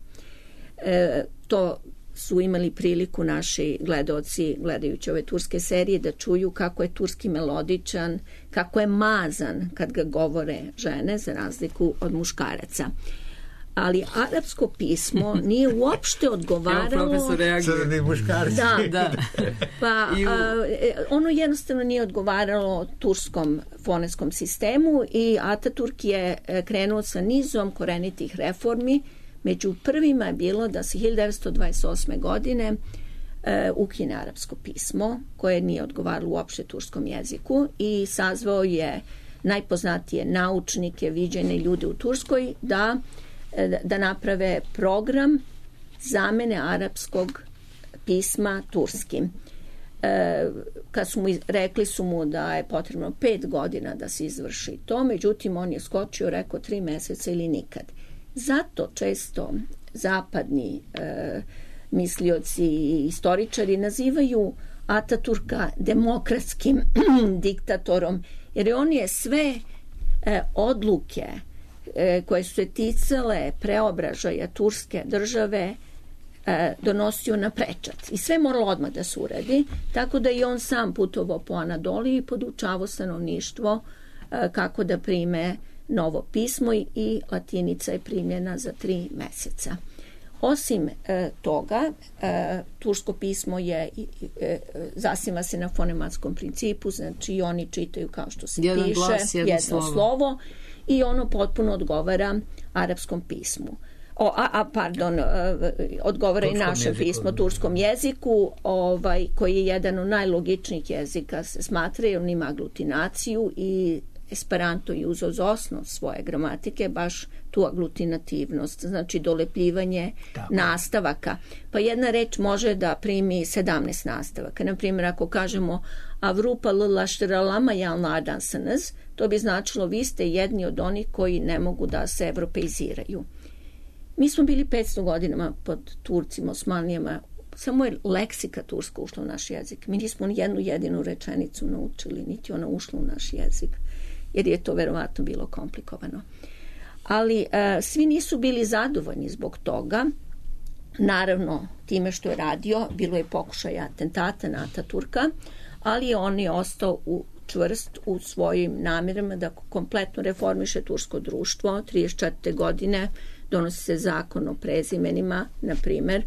To su imali priliku naši gledaoci, gledajući ove turske serije, da čuju kako je turski melodičan, kako je mazan kad ga govore žene, za razliku od muškaraca. Ali arapsko pismo nije uopšte odgovaralo... Crni muškarci. Da. Pa ono jednostavno nije odgovaralo turskom fonetskom sistemu i Ataturk je krenuo sa nizom korenitih reformi. Među prvima je bilo da se 1928. godine ukine arapsko pismo koje nije odgovaralo uopšte turskom jeziku i sazvao je najpoznatije naučnike, viđene ljude u Turskoj da naprave program zamene arapskog pisma turskim. Kad su mu rekli su mu da je potrebno 5 godina da se izvrši to, međutim on je skočio, rekao 3 meseca ili nikad. Zato često zapadni mislioci i istoričari nazivaju Ataturka demokratskim diktatorom, jer on je sve odluke koje su se ticale preobražaja turske države donosio na prečac. I sve moralo odmah da se uradi, tako da i on sam putovao po Anadoliji i podučavao stanovništvo kako da prime novo pismo i latinica je primljena za 3 meseca. Osim toga, tursko pismo zasniva se na fonematskom principu, znači oni čitaju kao što se jedan piše, glas, jedno slovo i ono potpuno odgovara arapskom pismu. Odgovara i našem pismu, turskom jeziku, koji je jedan od najlogičnijih jezika, se smatra, jer on ima aglutinaciju i Esperanto je uzeo za osnov svoje gramatike baš tu aglutinativnost, znači dolepljivanje nastavaka. Pa jedna reč može da primi 17 nastavaka. Naprimjer, ako kažemo Avrupa l-lašteralama jalnadansanız, to bi značilo vi ste jedni od onih koji ne mogu da se evropeiziraju. Mi smo bili 500 godinama pod Turcima, Osmanlijama, samo je leksika turska ušla u naš jezik. Mi nismo ni jednu jedinu rečenicu naučili, niti ona ušla u naš jezik, jer je to verovatno bilo komplikovano. Ali svi nisu bili zadovoljni zbog toga. Naravno, time što je radio, bilo je pokušaja atentata na Ataturka, ali on je ostao čvrst u svojim namirama da kompletno reformiše tursko društvo. 34. godine donosi se zakon o prezimenima, na primjer,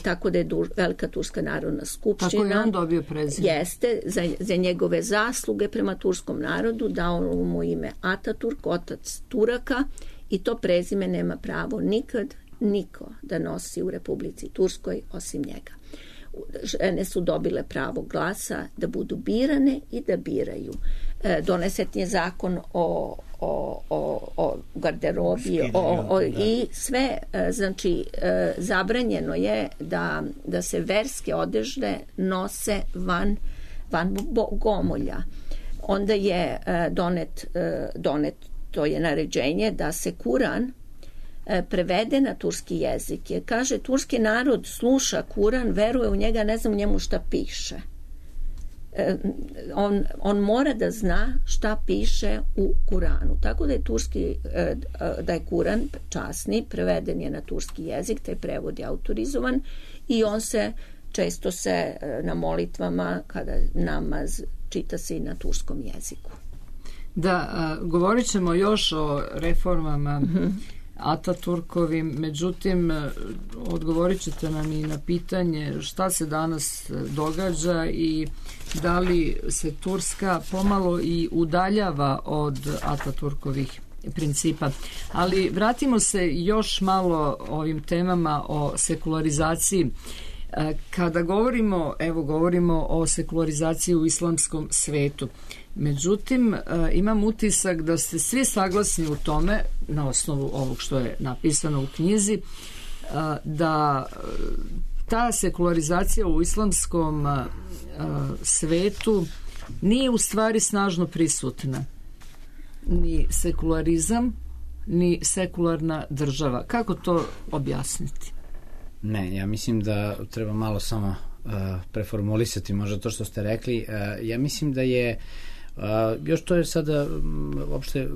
tako da je Velika turska narodna skupština. Kako je on dobio prezime? Jeste, za njegove zasluge prema turskom narodu dao mu ime Ataturk, otac Turaka, i to prezime nema pravo nikad niko da nosi u Republici Turskoj osim njega. Žene su dobile pravo glasa da budu birane i da biraju. Donesen je zakon o garderobi i sve, znači zabranjeno je da se verske odežde nose van bogomolja. Onda je donet to je naređenje da se Kuran prevede na turski jezik. Jer kaže, turski narod sluša Kuran, veruje u njega, ne znam u njemu šta piše. On mora da zna šta piše u Kuranu. Tako da je Kuran časni, preveden je na turski jezik, taj prevod je autorizovan i on često se na molitvama, kada namaz, čita se i na turskom jeziku. Da, govorit ćemo još o reformama Ataturkovim, međutim odgovorit ćete nam i na pitanje šta se danas događa i da li se Turska pomalo i udaljava od Ataturkovih principa. Ali vratimo se još malo ovim temama o sekularizaciji. Kada govorimo o sekularizaciji u islamskom svetu, međutim imam utisak da ste svi saglasni u tome, na osnovu ovog što je napisano u knjizi, da ta sekularizacija u islamskom svetu nije u stvari snažno prisutna. Ni sekularizam, ni sekularna država. Kako to objasniti? Ne, ja mislim da treba malo samo preformulisati možda to što ste rekli. Ja mislim da je još to je sada uopšte,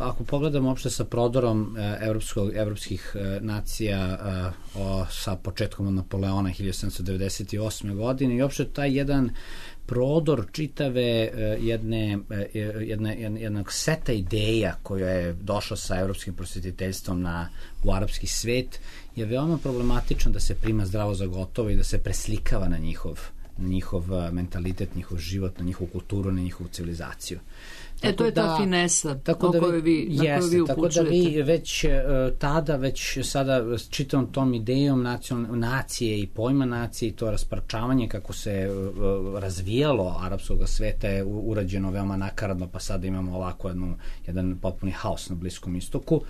ako pogledamo uopšte sa prodorom evropskih nacija sa početkom od Napoleona 1798. godine i uopšte taj jedan prodor čitave jednog seta ideja koja je došla sa evropskim prosvetiteljstvom u arapski svet je veoma problematično da se prima zdravo za gotovo i da se preslikava na njihov mentalitet, njihov život, na njihovu kulturu, na njihovu civilizaciju. To je ta finesa na koju vi upućujete. Tako da vi već tada, već sada čitavom tom idejom nacije i pojma nacije i to rasparčavanje kako se razvijalo arapskog sveta je urađeno veoma nakaradno, pa sada imamo ovako jedan potpuni haos na Bliskom istoku.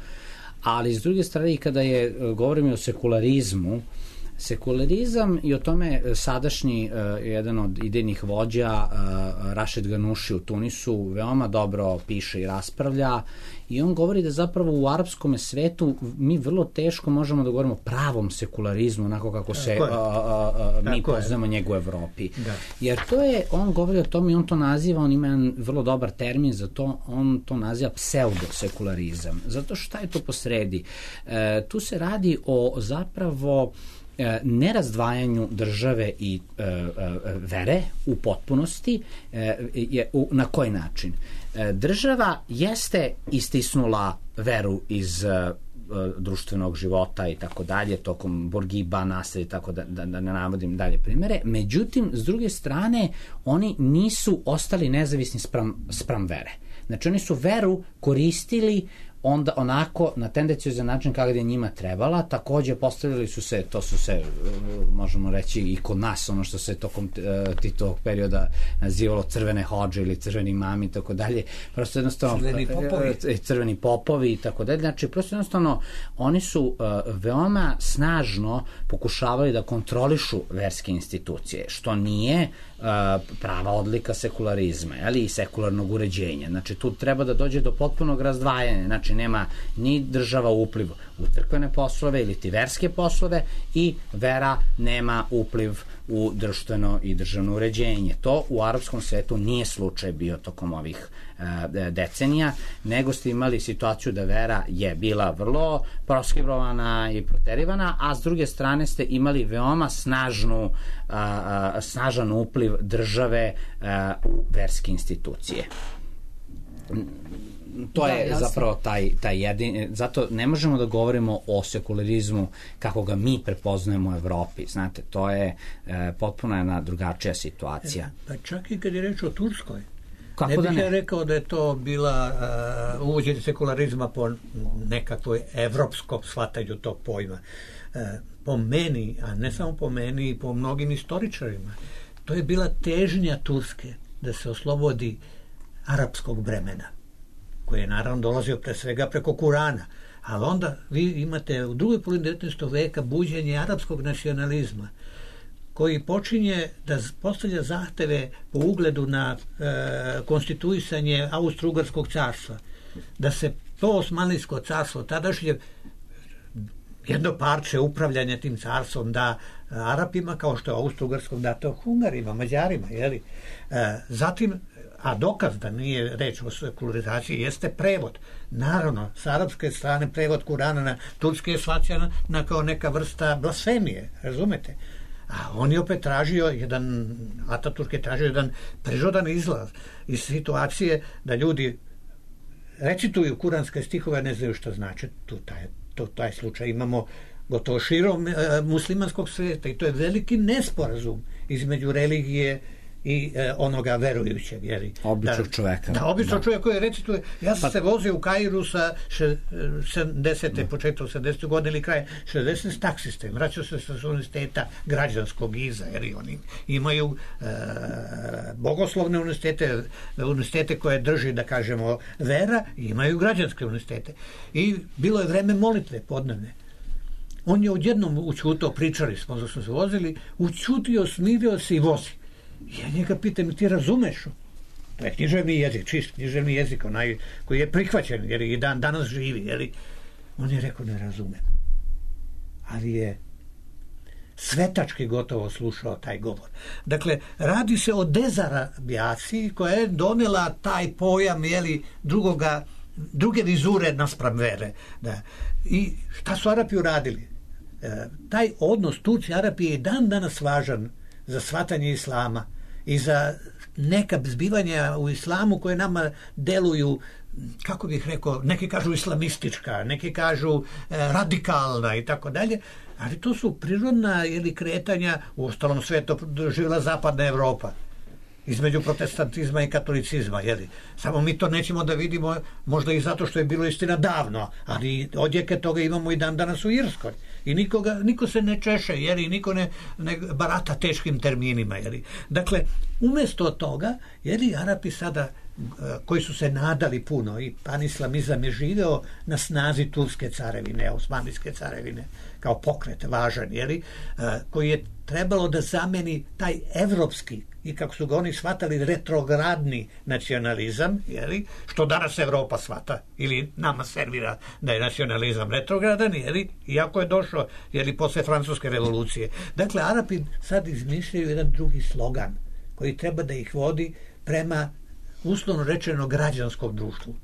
Ali s druge strane, kada govorimo o sekularizam i o tome sadašnji jedan od idejnih vođa Rašid Ganuši u Tunisu veoma dobro piše i raspravlja i on govori da zapravo u arapskom svetu mi vrlo teško možemo da govorimo o pravom sekularizmu onako kako se mi poznamo njega u Evropi. Da. Jer on govori o tome i on to naziva, on ima jedan vrlo dobar termin za to, on to naziva pseudosekularizam. Zato šta je to posredi? Tu se radi o zapravo nerazdvajanju države i vere u potpunosti. Na koji način? država jeste istisnula veru iz društvenog života i tako dalje, tokom Borgiba, Nasser i tako da ne navodim dalje primere. Međutim, s druge strane, oni nisu ostali nezavisni spram vere. Znači, oni su veru koristili onda onako na tendenciozan način kako je njima trebala. Takođe postavili su se, to su se možemo reći i kod nas, ono što se tokom Titovog perioda nazivalo crvene hodže ili crveni imami i tako dalje, prosto jednostavno crveni popovi i tako dalje. Znači, prosto jednostavno oni su veoma snažno pokušavali da kontrolišu verske institucije, što nije prava odlika sekularizma, i sekularnog uređenja. Znači, tu treba da dođe do potpunog razdvajanja. Znači, nema ni država upliv u crkvene poslove ili ti verske poslove i vera nema upliv u društveno i državno uređenje. To u arapskom svetu nije slučaj bio tokom ovih decenija, nego ste imali situaciju da vera je bila vrlo proskribovana i proterivana, a s druge strane ste imali veoma snažan upliv države u verske institucije. To je zapravo taj jedin, zato ne možemo da govorimo o sekularizmu kako ga mi prepoznajemo u Evropi, znate, to je potpuno jedna drugačija situacija. Pa čak i kad je reč o Turskoj, ne bih ja rekao da je to bila uvođenje sekularizma po nekakvoj evropskom shvatanju tog pojma. Po meni, a ne samo po meni, i po mnogim istoričarima, to je bila težnja Turske da se oslobodi arapskog bremena, koji je naravno dolazio pre svega preko Kurana, ali onda vi imate u drugoj polovini 19. veka buđenje arapskog nacionalizma, koji počinje da postavlja zahteve po ugledu na konstituisanje Austro-Ugarskog carstva, da se to Osmanlijsko carstvo, tadašnje jedno parče upravljanja tim carstvom da Arapima, kao što je Austro-Ugarskom dato Hungarima, Mađarima, jeli? Zatim, a dokaz da nije reč o sekularizaciji jeste prevod. Naravno, s arapske strane prevod Kurana na turski je shvaćan kao neka vrsta blasfemije, razumete? A on je opet tražio Ataturk je tražio jedan prirodan izlaz iz situacije da ljudi recituju kuranske stihove, ne znaju što znači. Taj slučaj imamo gotovo širom muslimanskog svijeta i to je veliki nesporazum između religije i onoga verujućeg, običnog čoveka. Da, običnog čoveka koji recituje. Ja sam se vozio u Kairu sa 70. početkom 70. godine ili kraj 60. s taksistem. Vraćao se sa univerziteta građanskog Giza, jer oni imaju bogoslovne univerzitete koje drži, da kažemo, vera, i imaju građanske univerzitete. I bilo je vreme molitve podnevne. On je odjednom učutao, pričali smo da smo se vozili, učutio, smirio se i vozi. Ja njega pitam, ti razumeš? To je književni jezik, čist književni jezik, onaj koji je prihvaćen, jer i danas živi. On je rekao, ne razumem. Ali je svetački gotovo slušao taj govor. Dakle, radi se o dezarabijaciji koja je donela taj pojam, druge vizure naspram vere. Da. I šta su Arapi uradili? Taj odnos Turci-Arapi je dan danas važan za shvatanje islama i za neka zbivanja u islamu koje nama deluju, kako bih rekao, neki kažu islamistička, neki kažu radikalna i tako dalje, ali to su prirodna kretanja, u ostalom svetu doživjela zapadna Evropa između protestantizma i katolicizma, samo mi to nećemo da vidimo, možda i zato što je bilo istina davno, ali odjeke toga imamo i dan danas u Irskoj i niko se ne češe, i niko ne barata teškim terminima, dakle, umesto toga, Arapi sada, koji su se nadali puno, i panislamizam je živeo na snazi turske carevine, osmanlijske carevine, kao pokret važan, koji je trebalo da zameni taj evropski i, kako su ga oni shvatali, retrogradni nacionalizam, što danas Evropa shvata ili nama servira da je nacionalizam retrogradan, iako je došao posle francuske revolucije. Dakle, Arapi sad izmišljaju jedan drugi slogan koji treba da ih vodi prema, uslovno rečeno, građanskom društvu.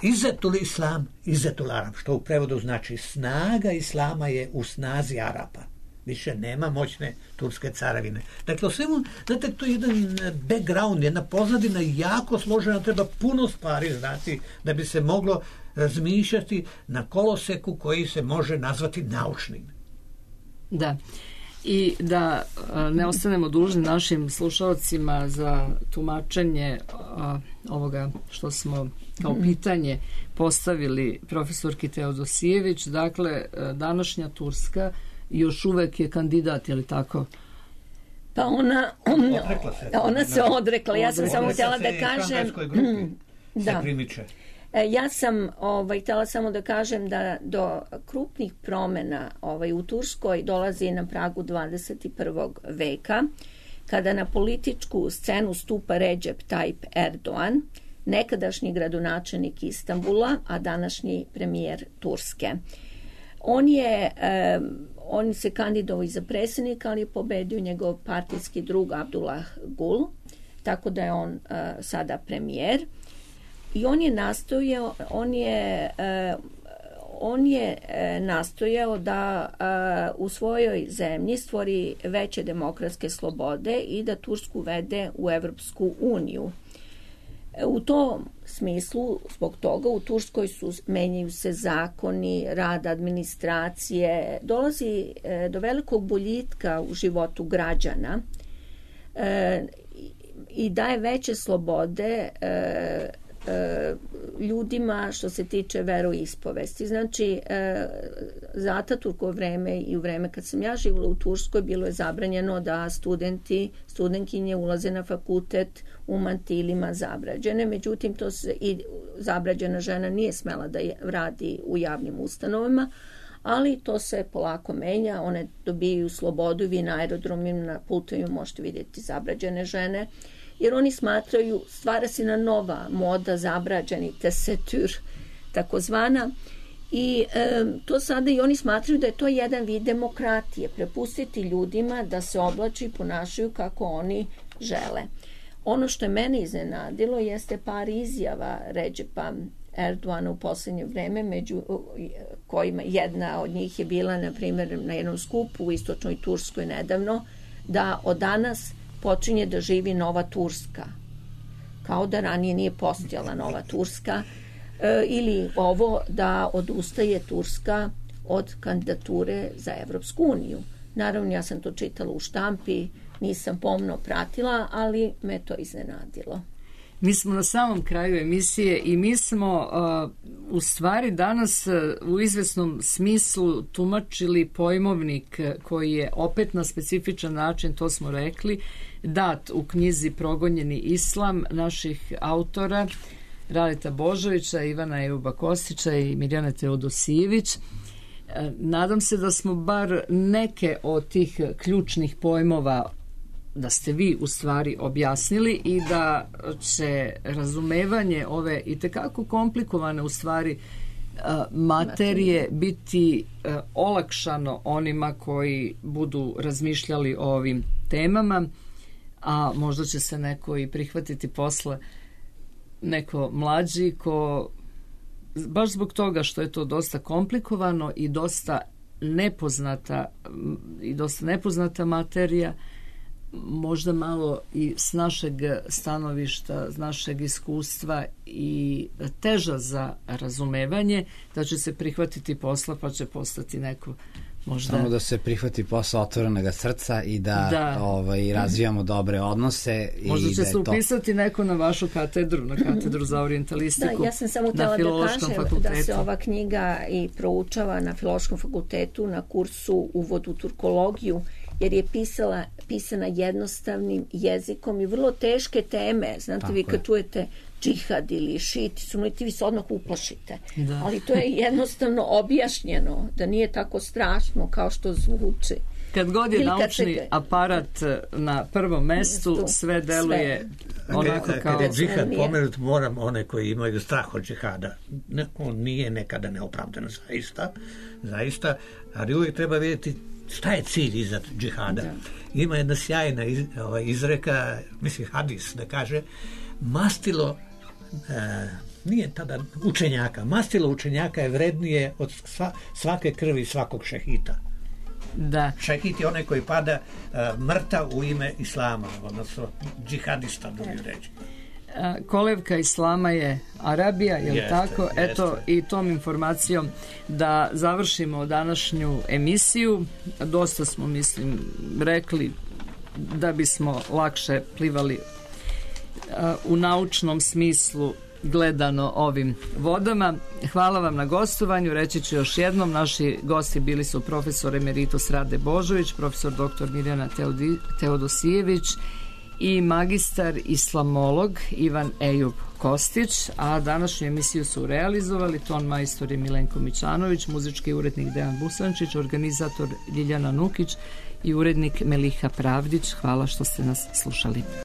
Izetul islam, izetul Arab, što u prevodu znači snaga islama je u snazi Arapa. Više nema moćne turske carevine. Dakle, o svemu, znate, to je jedan background, jedna pozadina jako složena, treba puno stvari znati da bi se moglo razmišljati na koloseku koji se može nazvati naučnim. Da. I da ne ostanemo dužni našim slušalcima za tumačenje ovoga što smo kao pitanje postavili profesorki Teodosijević. Dakle, današnja Turska još uvek je kandidat, je li tako? Pa ona se odrekla. Ja sam samo htjela da kažem... Da. Ja sam htjela samo da kažem da do krupnih promjena u Turskoj dolazi na pragu 21. veka, kada na političku scenu stupa Recep Tayyip Erdogan, nekadašnji gradonačelnik Istanbula, a današnji premijer Turske. On se kandidovao i za predsjednika, ali je pobedio njegov partijski drug Abdullah Gül, tako da je on sada premijer. I on je nastojao da u svojoj zemlji stvori veće demokratske slobode i da Tursku vede u Evropsku uniju. U tom smislu, zbog toga, u Turskoj menjaju se zakoni, rad administracije, dolazi do velikog boljitka u životu građana i daje veće slobode ljudima što se tiče veroispovesti. Znači, za Ataturkovo vreme i u vreme kad sam ja živjela u Turskoj bilo je zabranjeno da studentkinje ulaze na fakultet u mantilima zabrađene. Međutim, i zabrađena žena nije smela da radi u javnim ustanovama, ali to se polako menja. One dobijaju slobodu, vi na aerodromima, na putovima možete vidjeti zabrađene žene, jer oni smatraju, stvara se na nova moda, zabrađeni tesetür, takozvana, i to sada i oni smatraju da je to jedan vid demokratije, prepustiti ljudima da se oblače i ponašaju kako oni žele. Ono što je mene iznenadilo jeste par izjava Recepa Erdogana u posljednje vreme, među kojima jedna od njih je bila, na primjer, na jednom skupu u istočnoj Turskoj nedavno, da od danas počinje da živi nova Turska. Kao da ranije nije postojala nova Turska. Ili ovo da odustaje Turska od kandidature za Evropsku uniju. Naravno, ja sam to čitala u štampi, nisam pomno pratila, ali me to iznenadilo. Mi smo na samom kraju emisije i mi smo u stvari danas u izvesnom smislu tumačili pojmovnik koji je opet na specifičan način, to smo rekli, dat u knjizi Progonjeni islam naših autora Radeta Božovića, Ivana Ejuba Kostića i Mirjane Teodosijević. Nadam se da smo bar neke od tih ključnih pojmova da ste vi u stvari objasnili i da će razumevanje ove itekako komplikovane u stvari materije biti olakšano onima koji budu razmišljali o ovim temama, a možda će se neko i prihvatiti posle, neko mlađi ko baš zbog toga što je to dosta komplikovano i dosta nepoznata materija, možda malo i s našeg stanovišta, s našeg iskustva i teža za razumevanje, da će se prihvatiti posla pa će postati neko možda... Samo da se prihvati posla otvorenog srca i da. Razvijamo dobre odnose. Možda će da se upisati neko na vašu katedru, na katedru za orijentalistiku. Da, ja sam samo htjela da kažem da se ova knjiga i proučava na Filološkom fakultetu na kursu Uvod u turkologiju, jer je pisana jednostavnim jezikom i vrlo teške teme. Znate, vi kad čujete džihad ili šit, vi se odmah uplašite. Da. Ali to je jednostavno objašnjeno, da nije tako strašno kao što zvuči. Kad god je naučni aparat na prvom mestu, sve deluje onako kao... Kad je džihad pomenut, moram one koji imaju strah od džihada. On nije nekada neopravdan, zaista, ali uvijek treba vidjeti šta je cilj iza džihada. Da. Ima jedna sjajna izreka, mislim hadis, da kaže, mastilo nije tada učenjaka, mastilo učenjaka je vrednije od svake krvi svakog šehita. Da. Šehid je onaj koji pada mrtav u ime islama, odnosno džihadista, drugi reći. Kolevka islama je Arabija, je li tako? Eto, i tom informacijom da završimo današnju emisiju. Dosta smo, mislim, rekli da bismo lakše plivali u naučnom smislu gledano ovim vodama. Hvala vam na gostovanju. Reći ću još jednom, naši gosti bili su profesor emeritus Rade Božović, profesor dr. Mirjana Teodosijević i magistar islamolog Ivan Ejub Kostić, a današnju emisiju su realizovali ton majstor je Milenko Mićanović, muzički urednik Dejan Busančić, organizator Ljiljana Nukić i urednik Meliha Pravdić. Hvala što ste nas slušali.